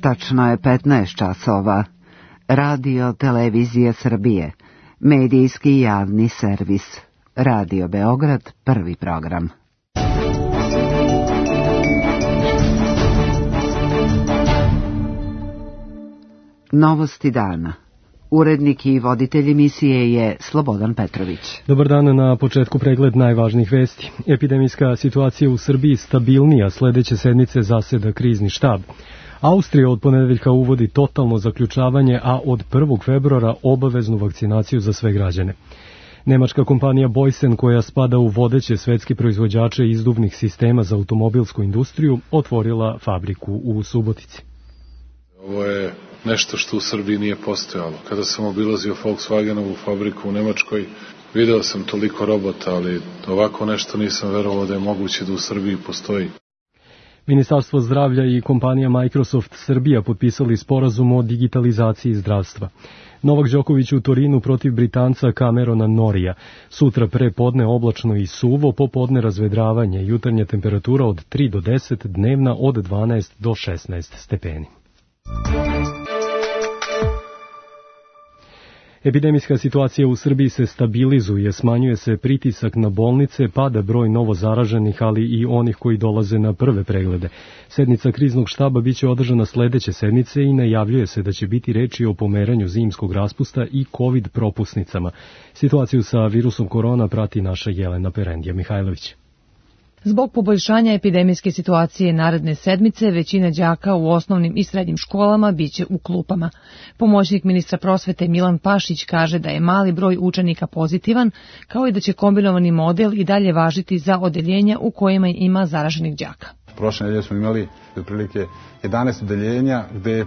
Tačno je 15 časova. Radio Televizija Srbije. Medijski javni servis. Radio Beograd, prvi program. Novosti dana. Urednik i voditelj emisije je Slobodan Petrović. Dobar dan, na početku pregled najvažnijih vesti. Epidemijska situacija u Srbiji stabilnija, sledeće sedmice zaseda krizni štab. Austrija od ponedeljka uvodi totalno zaključavanje, a od 1. februara obaveznu vakcinaciju za sve građane. Nemačka kompanija Boysen, koja spada u vodeće svetske proizvođače izduvnih sistema za automobilsku industriju, otvorila fabriku u Subotici. Ovo je nešto što u Srbiji nije postojalo. Kada sam obilazio Volkswagenovu fabriku u Nemačkoj, video sam toliko robota, ali ovako nešto nisam verovao da je moguće da u Srbiji postoji. Ministarstvo zdravlja i kompanija Microsoft Srbija potpisali sporazum o digitalizaciji zdravstva. Novak Đoković u Torinu protiv Britanca Camerona Norrija. Sutra pre podne oblačno i suvo, popodne razvedravanje, jutarnja temperatura od 3 do 10, dnevna od 12 do 16 stepeni. Epidemijska situacija u Srbiji se stabilizuje, smanjuje se pritisak na bolnice, pada broj novo zaraženih, ali i onih koji dolaze na prve preglede. Sednica kriznog štaba biće održana sledeće sedmice i najavljuje se da će biti reči o pomeranju zimskog raspusta i COVID propusnicama. Situaciju sa virusom korona prati naša Jelena Perendija Mihajlović. Zbog poboljšanja epidemijske situacije naredne sedmice, većina đaka u osnovnim i srednjim školama biće u klupama. Pomoćnik ministra prosvete Milan Pašić kaže da je mali broj učenika pozitivan, kao i da će kombinovani model i dalje važiti za odeljenja u kojima ima zaraženih đaka. Prošle nedelje smo imali otprilike 11 odeljenja gde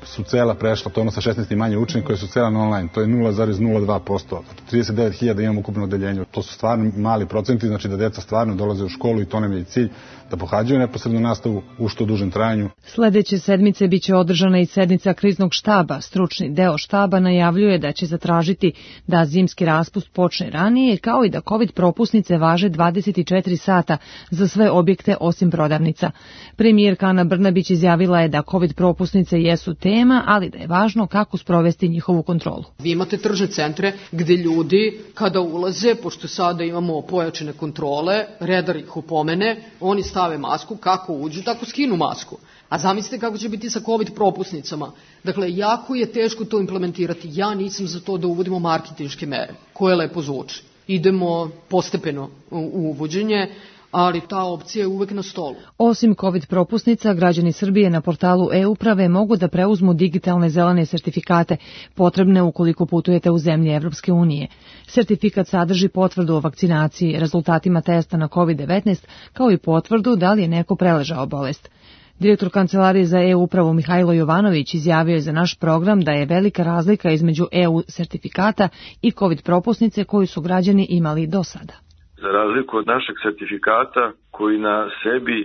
su cela prešla, to ono sa 16 i manje učenika koji su cela na online, to je 0,02%. 39.000 imamo ukupno odeljenje. To su stvarno mali procenti, znači da deca stvarno dolaze u školu i to nam je i cilj, da pohađaju neposrednu nastavu u što dužem trajanju. Sledeće sedmice biće održana i sednica kriznog štaba. Stručni deo štaba najavljuje da će zatražiti da zimski raspust počne ranije, kao i da COVID propusnice važe 24 sata za sve objekte osim prodavnica. Premijerka Ana Brnabić izjavila je da COVID propusnice jesu tema, ali da je važno kako sprovesti njihovu kontrolu. Vi imate tržne centre gde ljudi kada ulaze, pošto sada imamo pojačane kontrole, redar ih opomene, oni stave masku, kako uđu, tako skinu masku. A zamislite kako će biti sa COVID propusnicama. Dakle, jako je teško to implementirati. Ja nisam za to da uvodimo marketinške mere, koje lepo zvuči. Idemo postepeno u uvođenje, ali ta opcija je uvek na stolu. Osim COVID propusnica, građani Srbije na portalu e-uprave mogu da preuzmu digitalne zelene sertifikate, potrebne ukoliko putujete u zemlje Evropske unije. Sertifikat sadrži potvrdu o vakcinaciji, rezultatima testa na COVID-19, kao i potvrdu da li je neko preležao bolest. Direktor Kancelarije za e-upravu Mihajlo Jovanović izjavio je za naš program da je velika razlika između EU sertifikata i COVID propusnice koju su građani imali do sada. Za razliku od našeg sertifikata koji na sebi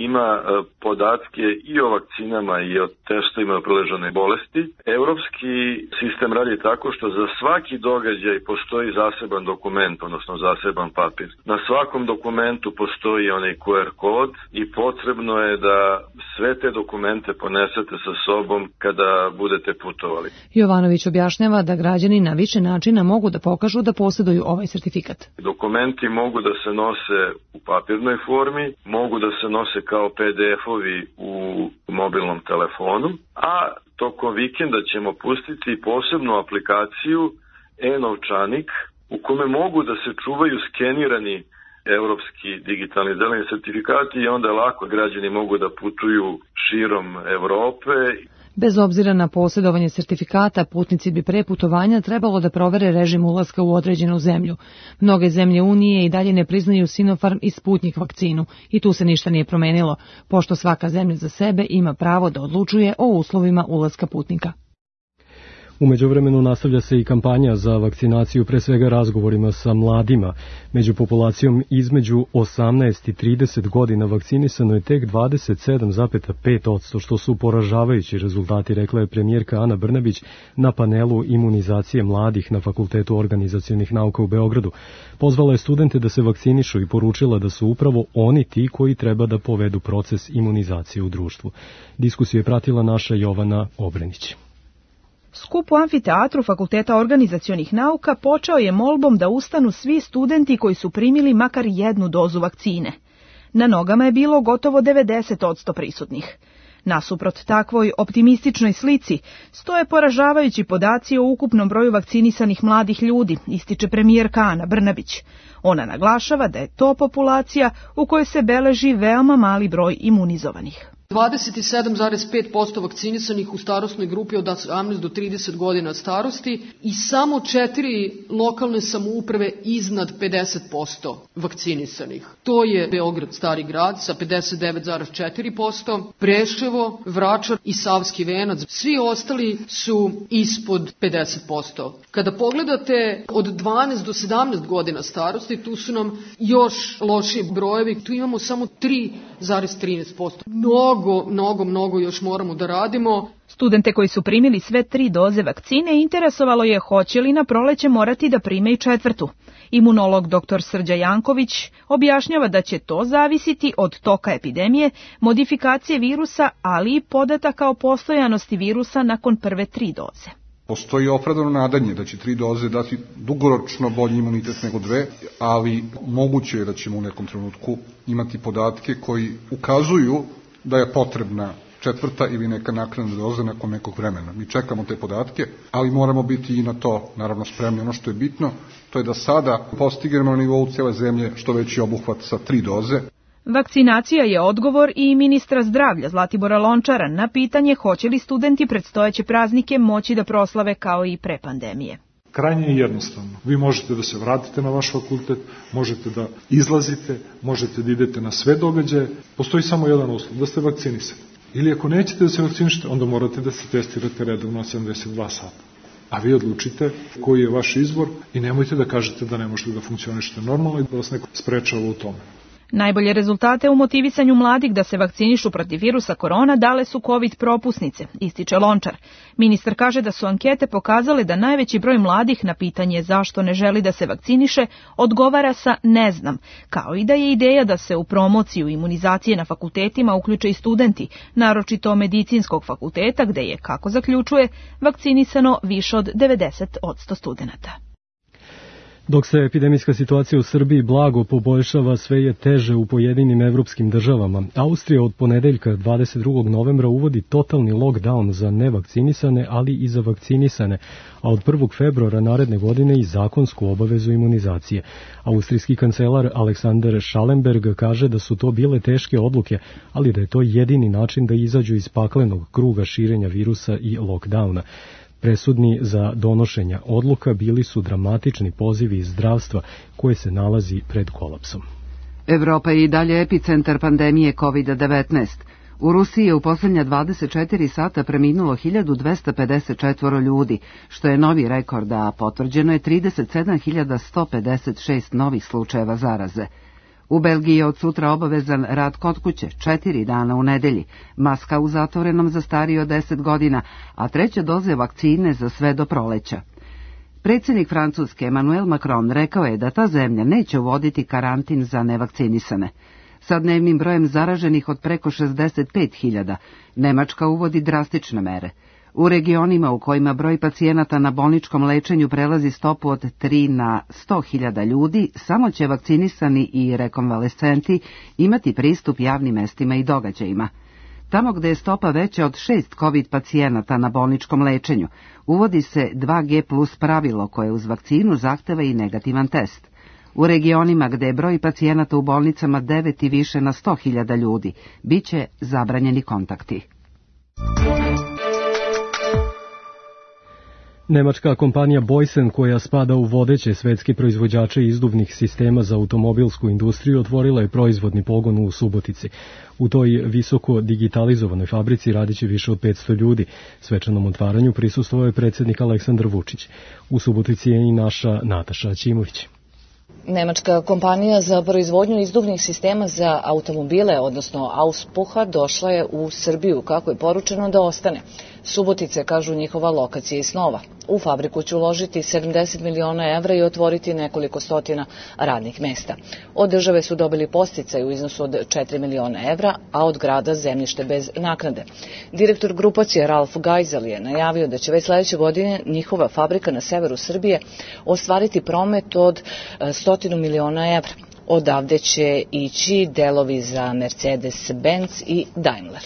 ima podatke i o vakcinama i o testovima o preležane bolesti, evropski sistem radi tako što za svaki događaj postoji zaseban dokument, odnosno zaseban papir. Na svakom dokumentu postoji onaj QR kod i potrebno je da sve te dokumente ponesete sa sobom kada budete putovali. Jovanović objašnjava da građani na više načina mogu da pokažu da posjeduju ovaj sertifikat. Dokumenti mogu da se nose u papirnoj formi, mogu da se nose kao PDF-ovi u mobilnom telefonu, a tokom vikenda ćemo pustiti posebnu aplikaciju e-novčanik u kome mogu da se čuvaju skenirani evropski digitalni zeleni sertifikati i onda lako građani mogu da putuju širom Evrope. Bez obzira na posjedovanje sertifikata, putnici bi pre putovanja trebalo da provere režim ulaska u određenu zemlju. Mnoge zemlje Unije i dalje ne priznaju Sinopharm i Sputnik vakcinu i tu se ništa nije promenilo, pošto svaka zemlja za sebe ima pravo da odlučuje o uslovima ulaska putnika. U međuvremenu nastavlja se i kampanja za vakcinaciju, pre svega razgovorima sa mladima. Među populacijom između 18 i 30 godina vakcinisano je tek 27,5%, što su poražavajući rezultati, rekla je premijerka Ana Brnabić na panelu imunizacije mladih na Fakultetu organizacionih nauka u Beogradu. Pozvala je studente da se vakcinišu i poručila da su upravo oni ti koji treba da povedu proces imunizacije u društvu. Diskusiju je pratila naša Jovana Obrenić. Skup u amfiteatru Fakulteta organizacionih nauka počeo je molbom da ustanu svi studenti koji su primili makar jednu dozu vakcine. Na nogama je bilo gotovo 90% prisutnih. Nasuprot takvoj optimističnoj slici stoje poražavajući podaci o ukupnom broju vakcinisanih mladih ljudi, ističe premijerka Ana Brnabić. Ona naglašava da je to populacija u kojoj se beleži veoma mali broj imunizovanih. 27,5% vakcinisanih u starosnoj grupi od 18 do 30 godina starosti i samo 4 lokalne samouprave iznad 50% vakcinisanih. To je Beograd, Stari grad sa 59,4%, Preševo, Vračar i Savski Venac. Svi ostali su ispod 50%. Kada pogledate od 12 do 17 godina starosti, tu su nam još lošiji brojevi. Tu imamo samo 3,13%. Mnogo još moramo da radimo. Studente koji su primili sve 3 doze vakcine interesovalo je hoće li na proleće morati da prime i 4. Imunolog dr. Srđa Janković objašnjava da će to zavisiti od toka epidemije, modifikacije virusa, ali i podataka o postojanosti virusa nakon prve 3 doze. Postoji opravdano nadanje da će 3 doze dati dugoročno bolji imunitet nego 2, ali moguće je da ćemo u nekom trenutku imati podatke koji ukazuju da je potrebna 4. ili neka naknadna doza nakon nekog vremena. Mi čekamo te podatke, ali moramo biti i na to naravno spremni. Ono što je bitno, to je da sada postignemo na nivou cijele zemlje što veći obuhvat sa 3 doze. Vakcinacija je odgovor i ministra zdravlja Zlatibora Lončara na pitanje hoće li studenti predstojeće praznike moći da proslave kao i pre pandemije. Krajnje je jednostavno. Vi možete da se vratite na vaš fakultet, možete da izlazite, možete da idete na sve događaje. Postoji samo jedan uslov, da ste vakcinisani. Ili ako nećete da se vakcinišete, onda morate da se testirate redovno 72 sata. A vi odlučite koji je vaš izbor i nemojte da kažete da ne možete da funkcionišete normalno i da vas neko sprečava u tome. Najbolje rezultate u motivisanju mladih da se vakcinišu protiv virusa korona dale su COVID propusnice, ističe Lončar. Ministar kaže da su ankete pokazale da najveći broj mladih na pitanje zašto ne želi da se vakciniše odgovara sa ne znam, kao i da je ideja da se u promociju imunizacije na fakultetima uključe i studenti, naročito medicinskog fakulteta gde je, kako zaključuje, vakcinisano više od 90% studenata. Dok se epidemijska situacija u Srbiji blago poboljšava, sve je teže u pojedinim evropskim državama. Austrija od ponedeljka 22. novembra uvodi totalni lockdown za nevakcinisane, ali i za vakcinisane, a od 1. februara naredne godine i zakonsku obavezu imunizacije. Austrijski kancelar Alexander Schallenberg kaže da su to bile teške odluke, ali da je to jedini način da izađu iz paklenog kruga širenja virusa i lockdowna. Presudni za donošenja odluka bili su dramatični pozivi iz zdravstva koje se nalazi pred kolapsom. Evropa je i dalje epicentar pandemije COVID-19. U Rusiji je u posljednja 24 sata preminulo 1254 ljudi, što je novi rekord, a potvrđeno je 37.156 novih slučajeva zaraze. U Belgiji je od sutra obavezan rad kod kuće 4 dana u nedelji, maska u zatvorenom za starije od 10 godina, a 3. doze vakcine za sve do proleća. Predsjednik Francuske Emmanuel Macron rekao je da ta zemlja neće uvoditi karantin za nevakcinisane. Sa dnevnim brojem zaraženih od preko 65.000, Nemačka uvodi drastične mere. U regionima u kojima broj pacijenata na bolničkom lečenju prelazi stopu od 3 na 100.000 ljudi, samo će vakcinisani i rekonvalescenti imati pristup javnim mestima i događajima. Tamo gde je stopa veća od 6 COVID pacijenata na bolničkom lečenju, uvodi se 2G plus pravilo koje uz vakcinu zahteva i negativan test. U regionima gde je broj pacijenata u bolnicama 9 i više na 100.000 ljudi, bit će zabranjeni kontakti. Nemačka kompanija Boysen, koja spada u vodeće svetske proizvođače izduvnih sistema za automobilsku industriju, otvorila je proizvodni pogon u Subotici. U toj visoko digitalizovanoj fabrici radiće više od 500 ljudi. Svečanom otvaranju prisustvovao je predsjednik Aleksandar Vučić. U Subotici je i naša Nataša Ćimović. Nemačka kompanija za proizvodnju izduvnih sistema za automobile, odnosno Auspuha, došla je u Srbiju, kako je poručeno, da ostane. Subotice, kažu, njihova lokacija i snova. U fabriku će uložiti 70 miliona evra i otvoriti nekoliko stotina radnih mesta. Od države su dobili podsticaj u iznosu od 4 miliona evra, a od grada zemljište bez naknade. Direktor grupacije Ralf Geisel je najavio da će već sledeće godine njihova fabrika na severu Srbije ostvariti promet od 100 miliona evra. Odavde će ići delovi za Mercedes-Benz i Daimler.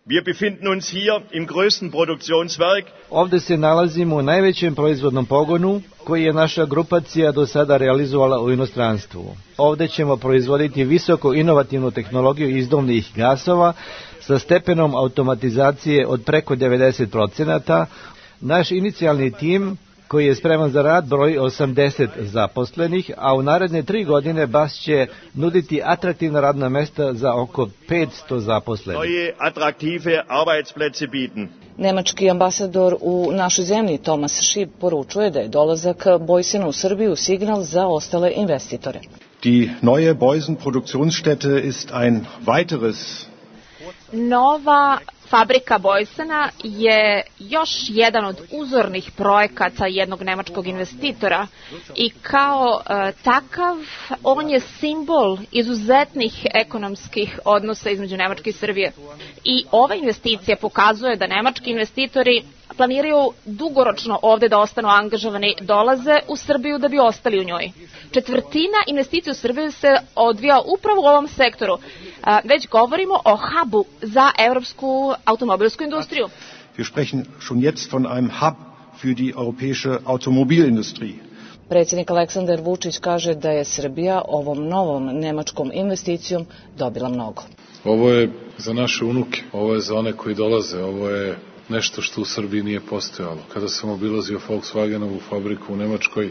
Wir befinden uns hier im größten Produktionswerk. Ovde se nalazimo u najvećem proizvodnom pogonu koji je naša grupacija do sada realizovala u inostranstvu. Ovde ćemo proizvoditi visoko inovativnu tehnologiju izduvnih gasova sa stepenom automatizacije od preko 90%. Naš inicijalni tim koji je spreman za rad broji 80 zaposlenih, a u naredne 3 godine BAS će nuditi atraktivna radna mesta za oko 500 zaposlenih. Neue attraktive Arbeitsplätze bieten. Nemački ambasador u našoj zemlji Thomas Schieb poručuje da je dolazak Boysena u Srbiju signal za ostale investitore. Die neue Boysen Produktionsstätte ist ein weiteres. Nova fabrika Boysena je još jedan od uzornih projekata jednog nemačkog investitora i kao takav on je simbol izuzetnih ekonomskih odnosa između Nemačke i Srbije. I ova investicija pokazuje da nemački investitori planiraju dugoročno ovde da ostanu angažovani, dolaze u Srbiju da bi ostali u njoj. Četvrtina investicija u Srbiji se odvija upravo u ovom sektoru. Već govorimo o hubu za evropsku automobilsku industriju. Wir sprechen schon jetzt von einem Hub für die europäische Automobilindustrie. Predsjednik Aleksandar Vučić kaže da je Srbija ovom novom nemačkom investicijom dobila mnogo. Ovo je za naše unuke, ovo je za one koji dolaze, ovo je nešto što u Srbiji nije postojalo. Kada sam obilazio Volkswagenovu fabriku u Nemačkoj,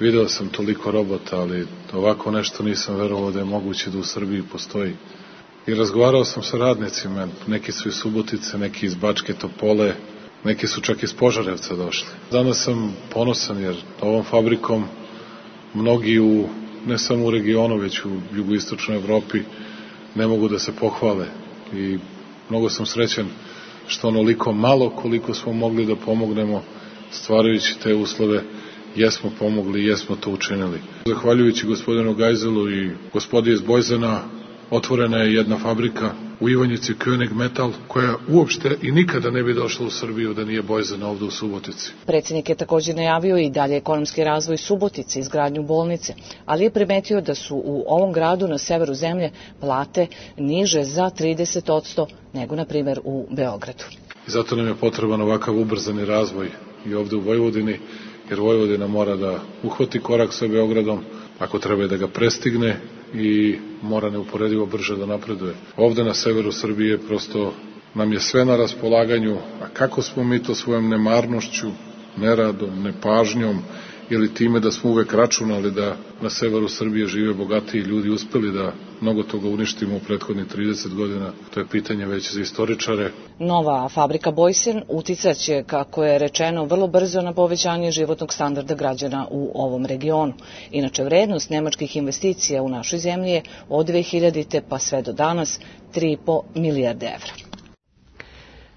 video sam toliko robota, ali ovako nešto nisam verovao da je moguće da u Srbiji postoji. I razgovarao sam sa radnicima, neki su iz Subotice, neki iz Bačke Topole, neki su čak iz Požarevca došli. Danas sam ponosan jer ovom fabrikom mnogi ne samo u regionu, već u jugoistočnoj Evropi ne mogu da se pohvale. I mnogo sam srećan što onoliko malo koliko smo mogli da pomognemo stvarajući te uslove, jesmo pomogli i jesmo to učinili. Zahvaljujući gospodinu Geiselu i gospodi iz Boysena, otvorena je jedna fabrika u Ivanjici, König Metal, koja uopšte i nikada ne bi došla u Srbiju da nije Boysen ovde u Subotici. Predsjednik je također najavio i dalje ekonomski razvoj Subotice, izgradnju bolnice, ali je primetio da su u ovom gradu na severu zemlje plate niže za 30% nego, na primjer, u Beogradu. I zato nam je potreban ovakav ubrzani razvoj i ovde u Vojvodini, jer Vojvodina mora da uhvati korak sa Beogradom, ako treba da ga prestigne i mora neuporedivo brže da napreduje. Ovde na severu Srbije prosto nam je sve na raspolaganju, a kako smo mi to svojom nemarnošću, neradom, nepažnjom ili time da smo uvek računali da na severu Srbije žive bogatiji ljudi uspeli da mnogo toga uništimo u prethodnih 30 godina, to je pitanje već za istoričare. Nova fabrika Boysen uticaće, kako je rečeno, vrlo brzo na povećanje životnog standarda građana u ovom regionu. Inače, vrednost nemačkih investicija u našoj zemlji je od 2000. pa sve do danas 3,5 milijarde evra.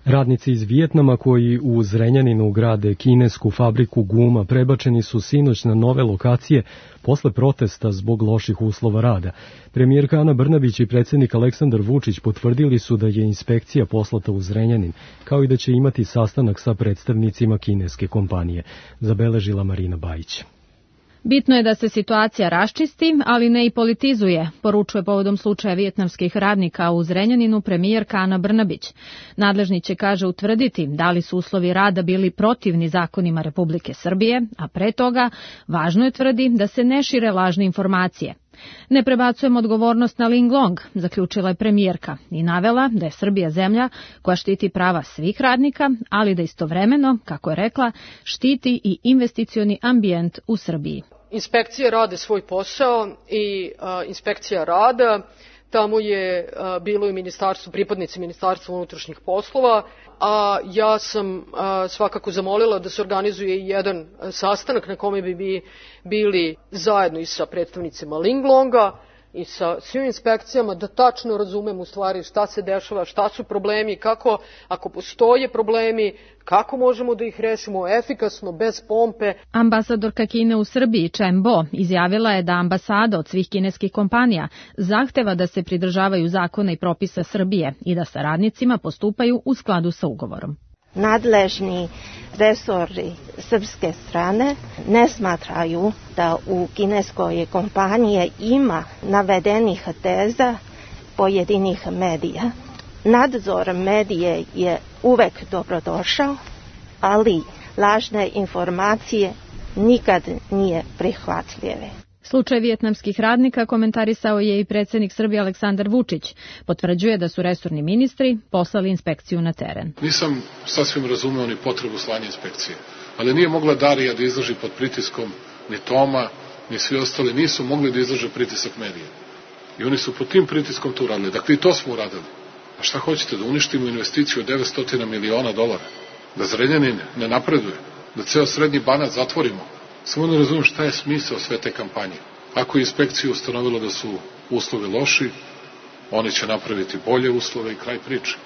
Radnici iz Vijetnama koji u Zrenjaninu grade kinesku fabriku guma prebačeni su sinoć na nove lokacije posle protesta zbog loših uslova rada. Premijerka Ana Brnabić i predsjednik Aleksandar Vučić potvrdili su da je inspekcija poslata u Zrenjanin, kao i da će imati sastanak sa predstavnicima kineske kompanije, zabeležila Marina Bajić. Bitno je da se situacija raščisti, ali ne i politizuje, poručuje povodom slučaja vijetnamskih radnika u Zrenjaninu premijerka Ana Brnabić. Nadležni će, kaže, utvrditi da li su uslovi rada bili protivni zakonima Republike Srbije, a pre toga važno je, tvrdi, da se ne šire lažne informacije. Ne prebacujemo odgovornost na Linglong, zaključila je premijerka i navela da je Srbija zemlja koja štiti prava svih radnika, ali da istovremeno, kako je rekla, štiti i investicioni ambijent u Srbiji. Inspekcije rade svoj posao i inspekcija rada, tamo je bilo i pripadnici Ministarstva unutrašnjih poslova, a ja sam svakako zamolila da se organizuje i jedan sastanak na kome bi bili zajedno i sa predstavnicima Linglonga i sa svim inspekcijama, da tačno razumem u stvari šta se dešava, šta su problemi, kako, ako postoje problemi, kako možemo da ih rešimo efikasno, bez pompe. Ambasadorka Kine u Srbiji, Chen Bo, izjavila je da ambasada od svih kineskih kompanija zahteva da se pridržavaju zakona i propisa Srbije i da sa radnicima postupaju u skladu sa ugovorom. Nadležni resori srpske strane ne smatraju da u kineskoj kompaniji ima navedenih teza pojedinih medija. Nadzor medije je uvek dobrodošao, ali lažne informacije nikad nije prihvatljive. Slučaj vijetnamskih radnika komentarisao je i predsjednik Srbije Aleksandar Vučić. Potvrđuje da su resorni ministri poslali inspekciju na teren. Nisam sasvim razumeo ni potrebu slanja inspekcije, ali nije mogla Darija da izdrži pod pritiskom, ni Toma, ni svi ostali nisu mogli da izdrže pritisak medija. I oni su pod tim pritiskom to uradili. Dakle, i to smo uradili. A šta hoćete, da uništimo investiciju od $900 miliona? Da Zrenjanin ne napreduje? Da ceo srednji Banat zatvorimo? Samo ne razumijem šta je smisao sve te kampanje. Ako je inspekcija ustanovila da su uslovi loši, oni će napraviti bolje uslove i kraj priče.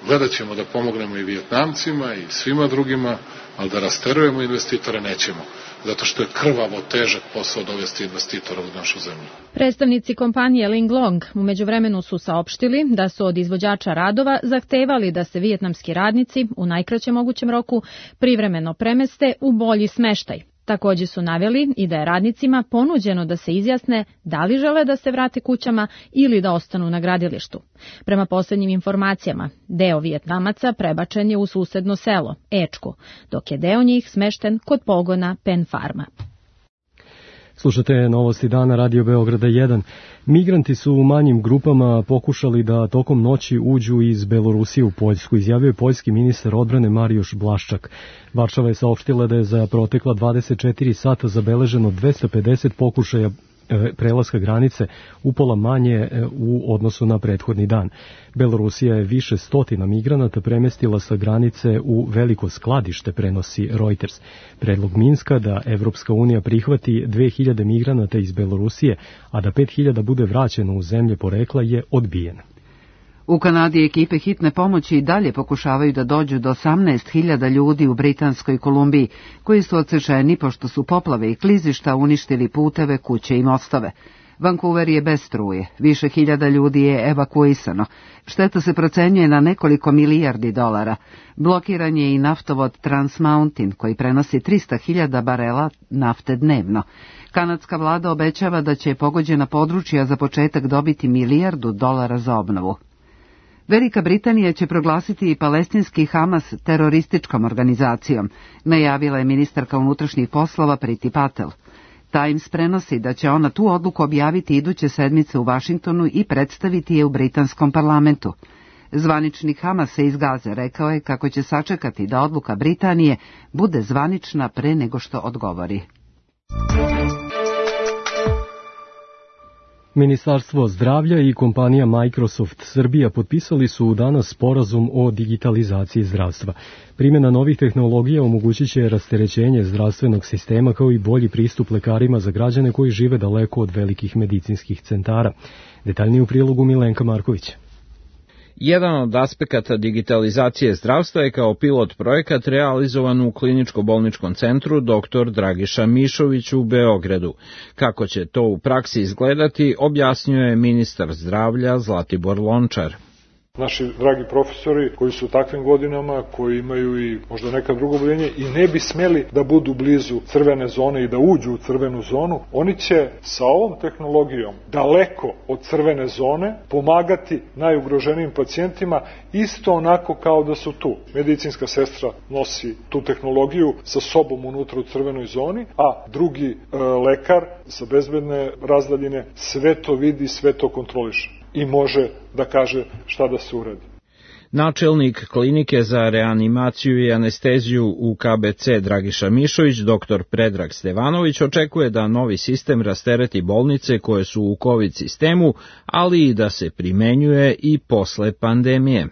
Gledat ćemo da pomognemo i Vijetnamcima i svima drugima, ali da rasterujemo investitore nećemo, zato što je krvavo težak posao dovesti investitora u našu zemlju. Predstavnici kompanije Linglong u međuvremenu su saopštili da su od izvođača radova zahtevali da se vijetnamski radnici u najkraćem mogućem roku privremeno premeste u bolji smeštaj. Također su naveli i da je radnicima ponuđeno da se izjasne da li žele da se vrate kućama ili da ostanu na gradilištu. Prema posljednjim informacijama, deo Vijetnamaca prebačen je u susedno selo, Ečku, dok je deo njih smešten kod pogona Pen Farma. Slušate novosti dana Radio Beograda 1. Migranti su u manjim grupama pokušali da tokom noći uđu iz Belorusije u Poljsku, izjavio je poljski ministar odbrane Marijuš Blaščak. Varšava je saopštila da je za protekla 24 sata zabeleženo 250 pokušaja prelaska granice, upola manje u odnosu na prethodni dan. Belorusija je više stotina migranata premestila sa granice u veliko skladište, prenosi Reuters. Predlog Minska da Evropska unija prihvati 2000 migranata iz Belorusije, a da 5000 bude vraćeno u zemlje porekla, je odbijen. U Kanadi ekipe hitne pomoći i dalje pokušavaju da dođu do 18.000 ljudi u Britanskoj Kolumbiji, koji su odsečeni pošto su poplave i klizišta uništili puteve, kuće i mostove. Vancouver je bez struje, više hiljada ljudi je evakuisano. Šteta se procenjuje na nekoliko milijardi dolara. Blokiran je i naftovod Trans Mountain, koji prenosi 300.000 barela nafte dnevno. Kanadska vlada obećava da će pogođena područja za početak dobiti $1 milijardu za obnovu. Velika Britanija će proglasiti i palestinski Hamas terorističkom organizacijom, najavila je ministarka unutrašnjih poslova Priti Patel. Times prenosi da će ona tu odluku objaviti iduće sedmice u Vašingtonu i predstaviti je u britanskom parlamentu. Zvaničnik Hamasa iz Gaze rekao je kako će sačekati da odluka Britanije bude zvanična pre nego što odgovori. Ministarstvo zdravlja i kompanija Microsoft Srbija potpisali su danas sporazum o digitalizaciji zdravstva. Primjena novih tehnologija omogućit će rasterećenje zdravstvenog sistema kao i bolji pristup lekarima za građane koji žive daleko od velikih medicinskih centara. Detaljnije u prilogu Milenka Marković. Jedan od aspekata digitalizacije zdravstva je kao pilot projekat realizovan u kliničko-bolničkom centru dr. Dragiša Mišović u Beogradu. Kako će to u praksi izgledati, objasnio je ministar zdravlja Zlatibor Lončar. Naši dragi profesori koji su u takvim godinama, koji imaju i možda neka drugo oboljenje i ne bi smeli da budu blizu crvene zone i da uđu u crvenu zonu, oni će sa ovom tehnologijom daleko od crvene zone pomagati najugroženijim pacijentima isto onako kao da su tu. Medicinska sestra nosi tu tehnologiju sa sobom unutra u crvenoj zoni, a drugi lekar sa bezbedne razdaljine sve to vidi, sve to kontroliše i može da kaže šta da se uradi. Načelnik klinike za reanimaciju i anesteziju u KBC Dragiša Mišović, dr. Predrag Stevanović, očekuje da novi sistem rastereti bolnice koje su u COVID sistemu, ali i da se primenjuje i posle pandemije.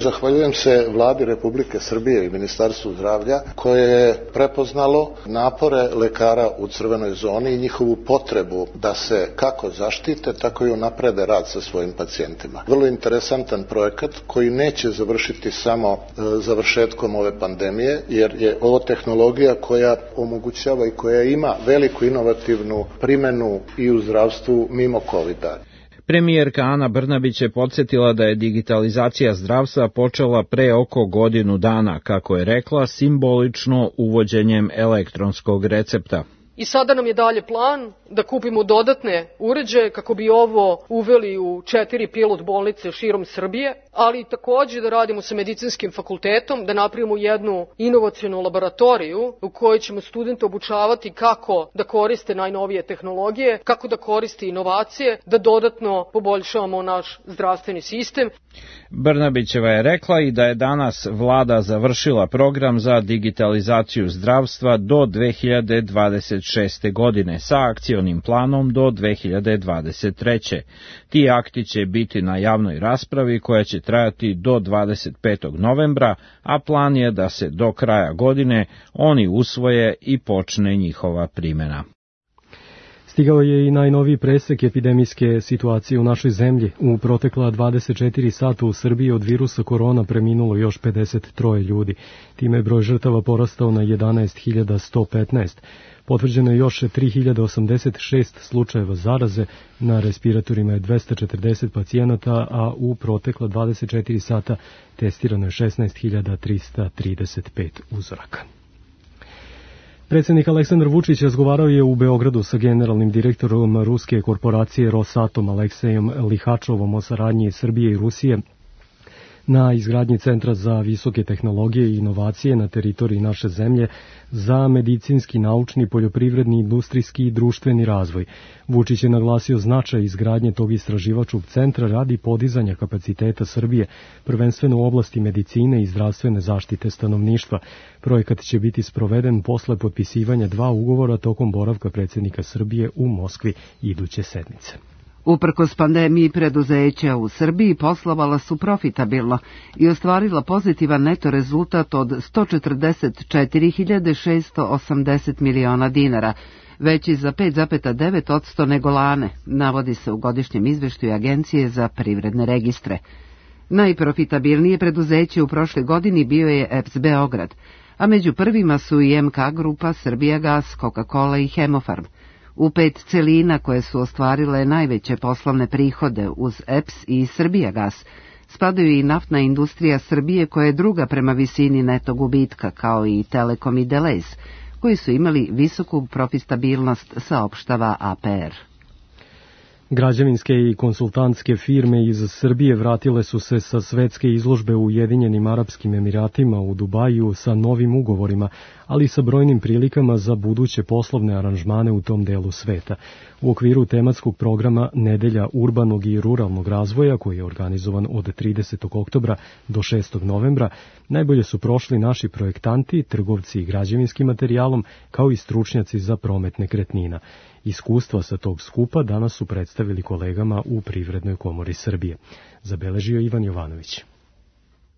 Zahvaljujem se Vladi Republike Srbije i Ministarstvu zdravlja koje je prepoznalo napore lekara u crvenoj zoni i njihovu potrebu da se kako zaštite, tako i unaprede rad sa svojim pacijentima. Vrlo interesantan projekat koji neće završiti samo završetkom ove pandemije, jer je ovo tehnologija koja omogućava i koja ima veliku inovativnu primenu i u zdravstvu mimo COVID-a. Premijerka Ana Brnabić je podsjetila da je digitalizacija zdravstva počela pre oko godinu dana, kako je rekla, simbolično uvođenjem elektronskog recepta. I sada nam je dalje plan da kupimo dodatne uređaje kako bi ovo uveli u 4 pilot bolnice širom Srbije, ali takođe da radimo sa medicinskim fakultetom, da napravimo jednu inovacionu laboratoriju u kojoj ćemo studente obučavati kako da koriste najnovije tehnologije, kako da koriste inovacije, da dodatno poboljšavamo naš zdravstveni sistem. Brnabićeva je rekla i da je danas vlada završila program za digitalizaciju zdravstva do 2026. godine sa akcionim planom do 2023. Ti akti će biti na javnoj raspravi koja će trajati do 25. novembra, a plan je da se do kraja godine oni usvoje i počne njihova primjena. Stigao je i najnoviji presek epidemijske situacije u našoj zemlji. U protekla 24 sata u Srbiji od virusa korona preminulo još 53 ljudi. Time je broj žrtava porastao na 11.115. Potvrđeno je još 3086 slučajeva zaraze, na respiratorima je 240 pacijenata, a u protekla 24 sata testirano je 16.335 uzoraka. Predsjednik Aleksandar Vučić razgovarao je u Beogradu sa generalnim direktorom ruske korporacije Rosatom Aleksejem Lihačovom o saradnji Srbije i Rusije na izgradnji Centra za visoke tehnologije i inovacije na teritoriji naše zemlje za medicinski, naučni, poljoprivredni, industrijski i društveni razvoj. Vučić je naglasio značaj izgradnje tog istraživačkog centra radi podizanja kapaciteta Srbije, prvenstveno u oblasti medicine i zdravstvene zaštite stanovništva. Projekat će biti sproveden posle potpisivanja 2 ugovora tokom boravka predsjednika Srbije u Moskvi iduće sedmice. Uprkos pandemiji, preduzeća u Srbiji poslovala su profitabilno i ostvarila pozitivan neto rezultat od 144.680 miliona dinara, veći za 5,9% nego lane, navodi se u godišnjem izveštaju Agencije za privredne registre. Najprofitabilnije preduzeće u prošloj godini bio je EPS Beograd, a među prvima su i MK Grupa, Srbijagas, Coca-Cola i Hemofarm. U 5 celina koje su ostvarile najveće poslovne prihode uz EPS i Srbijagas spadaju i naftna industrija Srbije koja je druga prema visini neto gubitka, kao i Telekom i Delez, koji su imali visoku profitabilnost, saopštava APR. Građevinske i konsultantske firme iz Srbije vratile su se sa svetske izložbe u Ujedinjenim Arapskim Emiratima u Dubaju sa novim ugovorima, ali i sa brojnim prilikama za buduće poslovne aranžmane u tom delu sveta. U okviru tematskog programa Nedelja urbanog i ruralnog razvoja, koji je organizovan od 30. oktobra do 6. novembra, najbolje su prošli naši projektanti, trgovci građevinskim materijalom, kao i stručnjaci za promet nekretnina. Iskustva sa tog skupa danas su predstavili kolegama u Privrednoj komori Srbije. Zabeležio Ivan Jovanović.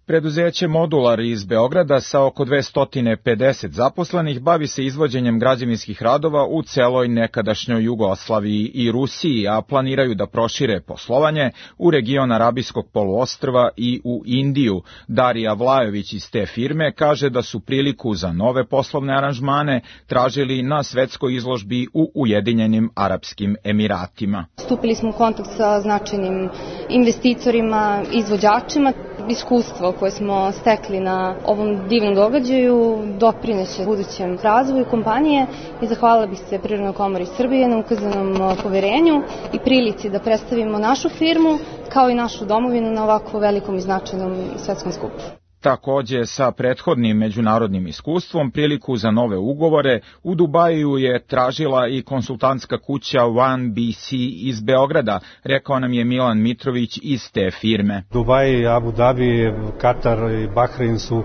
Preduzeće Modular iz Beograda sa oko 250 zaposlenih bavi se izvođenjem građevinskih radova u celoj nekadašnjoj Jugoslaviji i Rusiji, a planiraju da prošire poslovanje u region Arabijskog poluostrva i u Indiju. Darija Vlajović iz te firme kaže da su priliku za nove poslovne aranžmane tražili na svetskoj izložbi u Ujedinjenim Arapskim Emiratima. Stupili smo u kontakt sa značajnim investitorima, izvođačima. Iskustvo koje smo stekli na ovom divnom događaju doprineće budućem razvoju kompanije i zahvalila bih se Privrednoj komori Srbije na ukazanom poverenju i prilici da predstavimo našu firmu kao i našu domovinu na ovako velikom i značajnom svetskom skupu. Takođe, sa prethodnim međunarodnim iskustvom priliku za nove ugovore u Dubaju je tražila i konsultantska kuća 1BC iz Beograda, rekao nam je Milan Mitrović iz te firme. Dubaj, Abu Dhabi, Katar i Bahrein su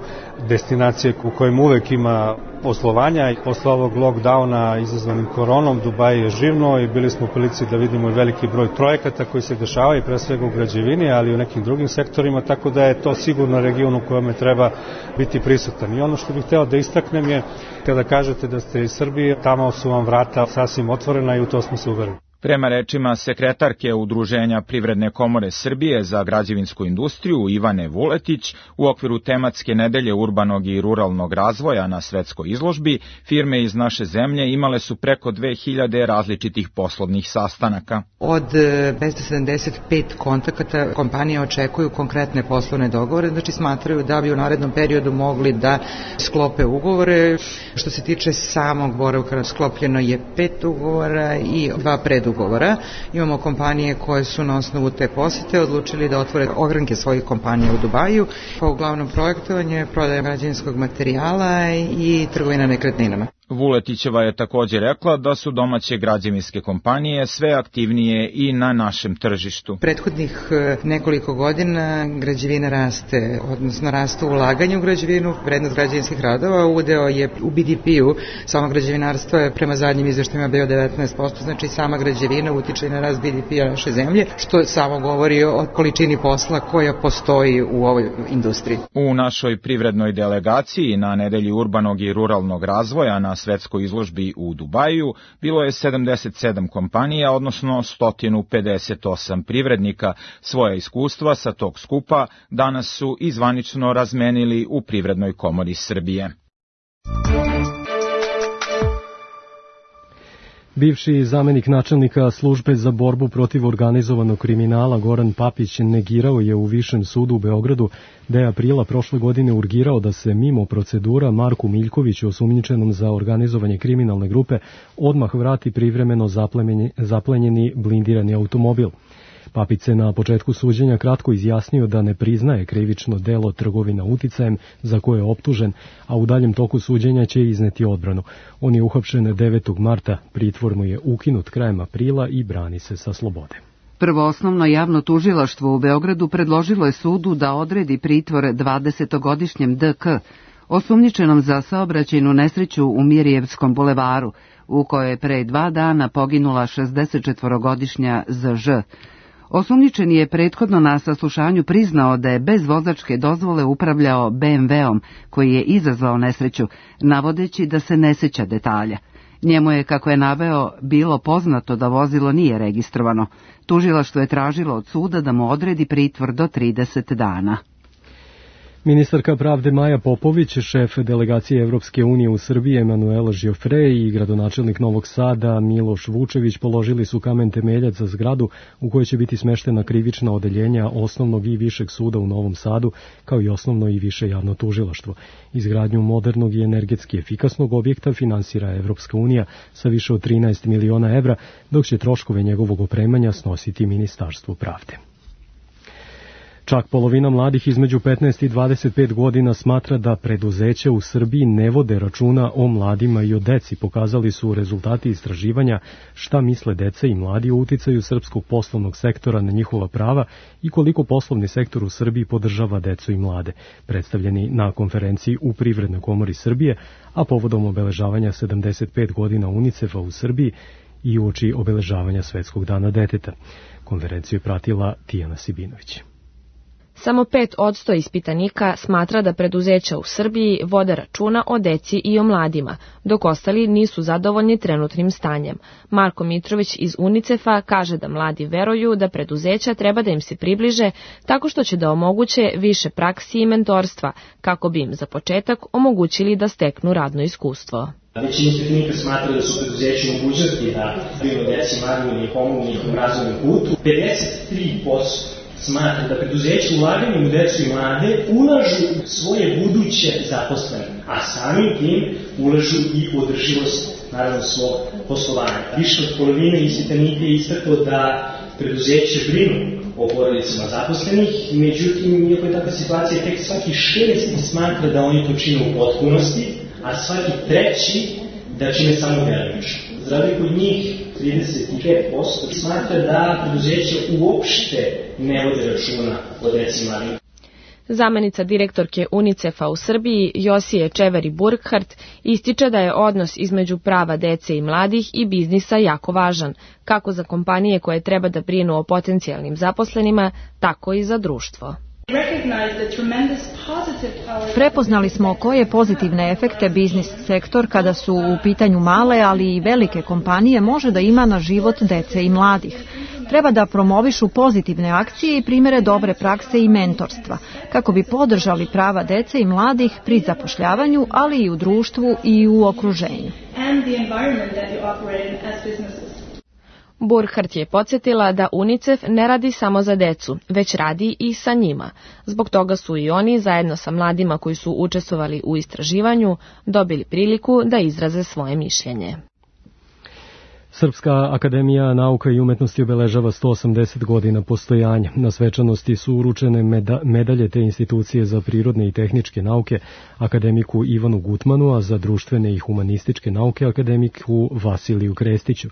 destinacije u kojim uvek ima poslovanja i posle ovog lockdowna izazvanim koronom Dubaj je živno i bili smo u prilici da vidimo veliki broj projekata koji se dešavaju pre svega u građevini, ali i u nekim drugim sektorima, tako da je to sigurno region u kojem treba biti prisutan. I ono što bih hteo da istaknem je, kada kažete da ste iz Srbije, tamo su vam vrata sasvim otvorena i u to smo se uverili. Prema rečima sekretarke Udruženja Privredne komore Srbije za građevinsku industriju Ivane Vuletić, u okviru tematske nedelje urbanog i ruralnog razvoja na svetskoj izložbi, firme iz naše zemlje imale su preko 2000 različitih poslovnih sastanaka. Od 275 kontakata kompanije očekuju konkretne poslovne dogovore, znači smatraju da bi u narednom periodu mogli da sklope ugovore. Što se tiče samog boravka, sklopljeno je 5 ugovora i 2 predugovora. Imamo kompanije koje su na osnovu te posete odlučili da otvore ogranke svojih kompanija u Dubaju, pa uglavnom projektovanje, prodaja građevinskog materijala i trgovina nekretninama. Vuletićeva je također rekla da su domaće građevinske kompanije sve aktivnije i na našem tržištu. Prethodnih nekoliko godina građevina raste, odnosno rastu ulaganje u građevinu, vrednost građevinskih radova, udeo je u BDP-u, samo građevinarstvo je prema zadnjim izveštajima bio 19%, znači sama građevina utiče na rast BDP-a naše zemlje, što samo govori o količini posla koja postoji u ovoj industriji. U našoj privrednoj delegaciji na nedelji urbanog i ruralnog razvoja na svetskoj izložbi u Dubaju bilo je 77 kompanija, odnosno 158 privrednika. Svoja iskustva sa tog skupa danas su i zvanično razmenili u Privrednoj komori Srbije. Bivši zamenik načelnika službe za borbu protiv organizovanog kriminala Goran Papić negirao je u Višem sudu u Beogradu da je aprila prošle godine urgirao da se mimo procedura Marku Miljkoviću, osumnjičenom za organizovanje kriminalne grupe, odmah vrati privremeno zaplenjeni blindirani automobil. Papić se na početku suđenja kratko izjasnio da ne priznaje krivično delo trgovina uticajem za koje je optužen, a u daljem toku suđenja će izneti odbranu. On je uhapšen 9. marta, pritvor mu je ukinut krajem aprila i brani se sa slobode. Prvoosnovno javno tužilaštvo u Beogradu predložilo je sudu da odredi pritvor 20-godišnjem DK, osumnjičenom za saobraćajnu nesreću u Mirjevskom bulevaru, u kojoj je pre 2 dana poginula 64-godišnja ZŽ. Osumnjičeni je prethodno na saslušanju priznao da je bez vozačke dozvole upravljao BMW-om koji je izazvao nesreću, navodeći da se ne seća detalja. Njemu je, kako je naveo, bilo poznato da vozilo nije registrovano. Tužilaštvo je tražilo od suda da mu odredi pritvor do 30 dana. Ministarka pravde Maja Popović, šef delegacije Evropske unije u Srbiji Emanuela Žiofre i gradonačelnik Novog Sada Miloš Vučević položili su kamen temeljac za zgradu u kojoj će biti smeštena krivična odeljenja Osnovnog i Višeg suda u Novom Sadu, kao i Osnovno i Više javno tužilaštvo. Izgradnju modernog i energetski efikasnog objekta finansira Evropska unija sa više od 13 miliona evra, dok će troškove njegovog opremanja snositi Ministarstvo pravde. Čak polovina mladih između 15 i 25 godina smatra da preduzeća u Srbiji ne vode računa o mladima i o deci, pokazali su rezultati istraživanja šta misle deca i mladi o uticaju srpskog poslovnog sektora na njihova prava i koliko poslovni sektor u Srbiji podržava decu i mlade, predstavljeni na konferenciji u Privrednoj komori Srbije, a povodom obeležavanja 75 godina UNICEF-a u Srbiji i uoči obeležavanja Svetskog dana deteta. Konferenciju je pratila Tijana Sibinović. Samo 5% ispitanika smatra da preduzeća u Srbiji vode računa o deci i o mladima, dok ostali nisu zadovoljni trenutnim stanjem. Marko Mitrović iz UNICEF-a kaže da mladi veruju da preduzeća treba da im se približe tako što će da omoguće više praksi i mentorstva, kako bi im za početak omogućili da steknu radno iskustvo. Većina ispitanika smatra da su preduzeći mogućnosti da brinu deci mladima i pomognu njihovom razvojnom putu. 53% smatra da preduzeća ulaganjem u decu i mlade ulažu svoje buduće zaposlene, a samim tim ulažu i održivost, naravno, svog poslovanja. Više od polovine ispitanika je istaklo da preduzeće brinu o porodicama zaposlenih, međutim, iako je takva situacija, tek svaki 6 smatra da oni to čine u potpunosti, a svaki 3 da čine samo delimično. Za razliku od njih, 35% smatra da preduzeće uopšte ne vode računa o deci i mladima. Zamenica direktorke UNICEF-a u Srbiji, Josije Čeveri-Burkhardt, ističe da je odnos između prava dece i mladih i biznisa jako važan, kako za kompanije koje treba da brinu o potencijalnim zaposlenima, tako i za društvo. Prepoznali smo koje pozitivne efekte biznis sektor kada su u pitanju male, ali i velike kompanije može da ima na život dece i mladih. Treba da promovišu pozitivne akcije i primere dobre prakse i mentorstva, kako bi podržali prava dece i mladih pri zapošljavanju, ali i u društvu i u okruženju. Burkhardt je podsjetila da UNICEF ne radi samo za decu, već radi i sa njima. Zbog toga su i oni, zajedno sa mladima koji su učestvovali u istraživanju, dobili priliku da izraze svoje mišljenje. Srpska akademija nauka i umetnosti obeležava 180 godina postojanja. Na svečanosti su uručene medalje te institucije za prirodne i tehničke nauke akademiku Ivanu Gutmanu, a za društvene i humanističke nauke akademiku Vasiliju Krestiću.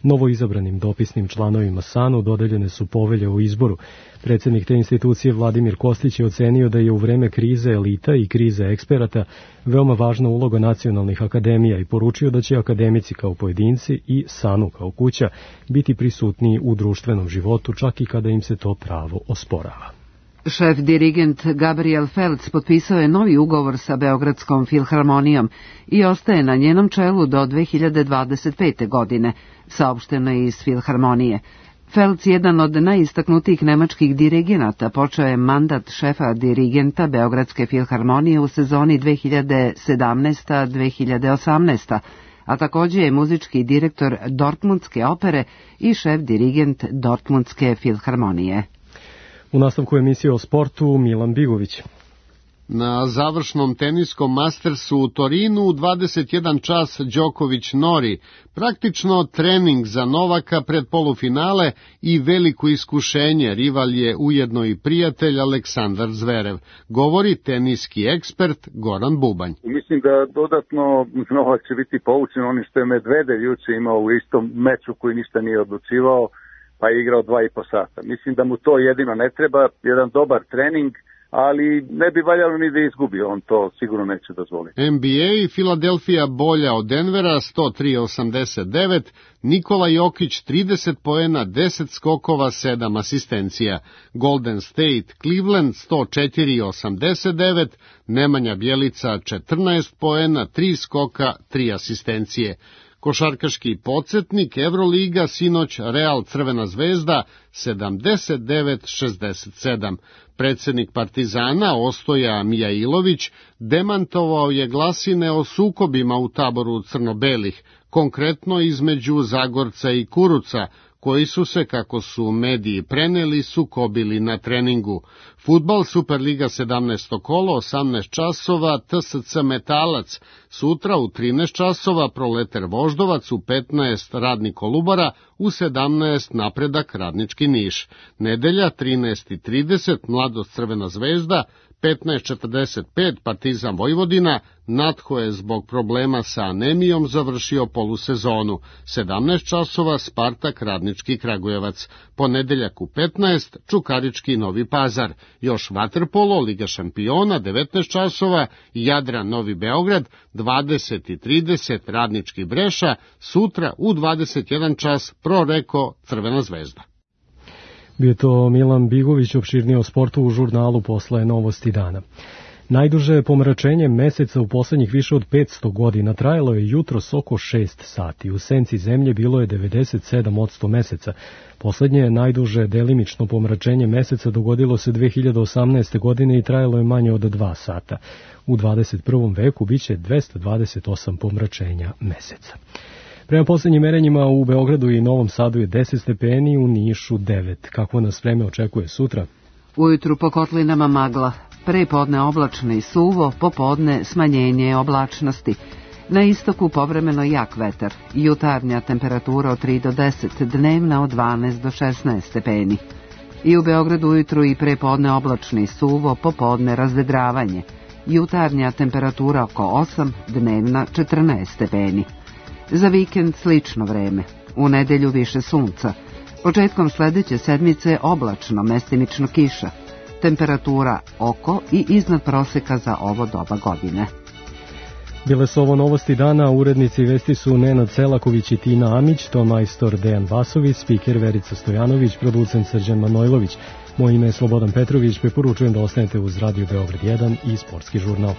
Novoizabranim dopisnim članovima SANU dodeljene su povelje o izboru. Predsjednik te institucije Vladimir Kostić je ocenio da je u vreme krize elita i krize eksperata veoma važna uloga nacionalnih akademija i poručio da će akademici kao pojedinci i SANU kao kuća biti prisutniji u društvenom životu, čak i kada im se to pravo osporava. Šef dirigent Gabriel Felc potpisao je novi ugovor sa Beogradskom filharmonijom i ostaje na njenom čelu do 2025. godine, saopšteno je iz filharmonije. Felc, jedan od najistaknutijih nemačkih dirigenata, počeo je mandat šefa dirigenta Beogradske filharmonije u sezoni 2017-2018, a također je muzički direktor Dortmundske opere i šef dirigent Dortmundske filharmonije. U nastavku emisije o sportu Milan Bigović. Na završnom teniskom Mastersu u Torinu 21 čas Đoković-Nori, praktično trening za Novaka pred polufinale i veliko iskušenje, rival je ujedno i prijatelj Aleksandar Zverev, govori teniski ekspert Goran Bubanj. Mislim da dodatno Novak će biti poučen onim što je Medvedev juče imao u istom meču koji ništa nije odlučivao, pa je igrao 2,5 sata. Mislim da mu to jedino ne treba, jedan dobar trening, ali ne bi valjalo ni da izgubi, on to sigurno neće dozvoliti. NBA, Filadelfija bolja od Denvera 103-89, Nikola Jokić 30 poena, 10 skokova, 7 asistencija. Golden State, Cleveland 104-89, Nemanja Bjelica 14 poena, 3 skoka, 3 asistencije. Košarkaški podsjetnik Evroliga, sinoć Real Crvena zvezda 79-67. Predsjednik Partizana Ostoja Mijailović demantovao je glasine o sukobima u taboru crno-belih, konkretno između Zagorca i Kuruca, koji su se, kako su mediji preneli, sukobili na treningu. Fudbal Superliga 17. kolo, 18 časova, TSC Metalac, sutra u 13 časova Proleter Voždovac, u 15 Radnik Kolubara, u 17 Napredak Radnički Niš. Nedelja 13:30 Mladost Crvena zvezda, 15:45 Partizan Vojvodina, Natho je zbog problema sa anemijom završio polusezonu, 17 časova Spartak Radnički Kragujevac, ponedeljak u 15 Čukarički Novi Pazar, još vaterpolo Liga šampiona 19 časova Jadran Novi Beograd, 20:30 Radnički Breša, sutra u 21 čas Proreko Crvena zvezda. Bio to Milan Bigović, opširnije o sportu u žurnalu Posle novosti dana. Najduže pomračenje meseca u poslednjih više od 500 godina trajalo je jutros oko 6 sati. U senci zemlje bilo je 97% meseca. Poslednje najduže delimično pomračenje meseca dogodilo se 2018. godine i trajalo je manje od 2 sata. U 21. veku biće 228 pomračenja meseca. Prema poslednjim merenjima u Beogradu i Novom Sadu je 10 stepeni, u Nišu 9. Kako nas vreme očekuje sutra? Ujutru po kotlinama magla, prepodne oblačno i suvo, popodne smanjenje oblačnosti. Na istoku povremeno jak vetar, jutarnja temperatura od 3 do 10, dnevna od 12 do 16 stepeni. I u Beogradu ujutru i prepodne oblačno i suvo, popodne razvedravanje, jutarnja temperatura oko 8, dnevna 14 stepeni. Za vikend slično vreme, u nedelju više sunca. Početkom sledeće sedmice oblačno, mestimično kiša. Temperatura oko i iznad proseka za ovo doba godine. Bile su ovo novosti dana, urednici vesti su Nenad Selaković i Tina Amić, ton majstor Dejan Vasović, spiker Verica Stojanović, producent Srđan Manojlović. Moje ime je Slobodan Petrović, preporučujem da ostanete uz Radio Beograd 1 i Sportski žurnal.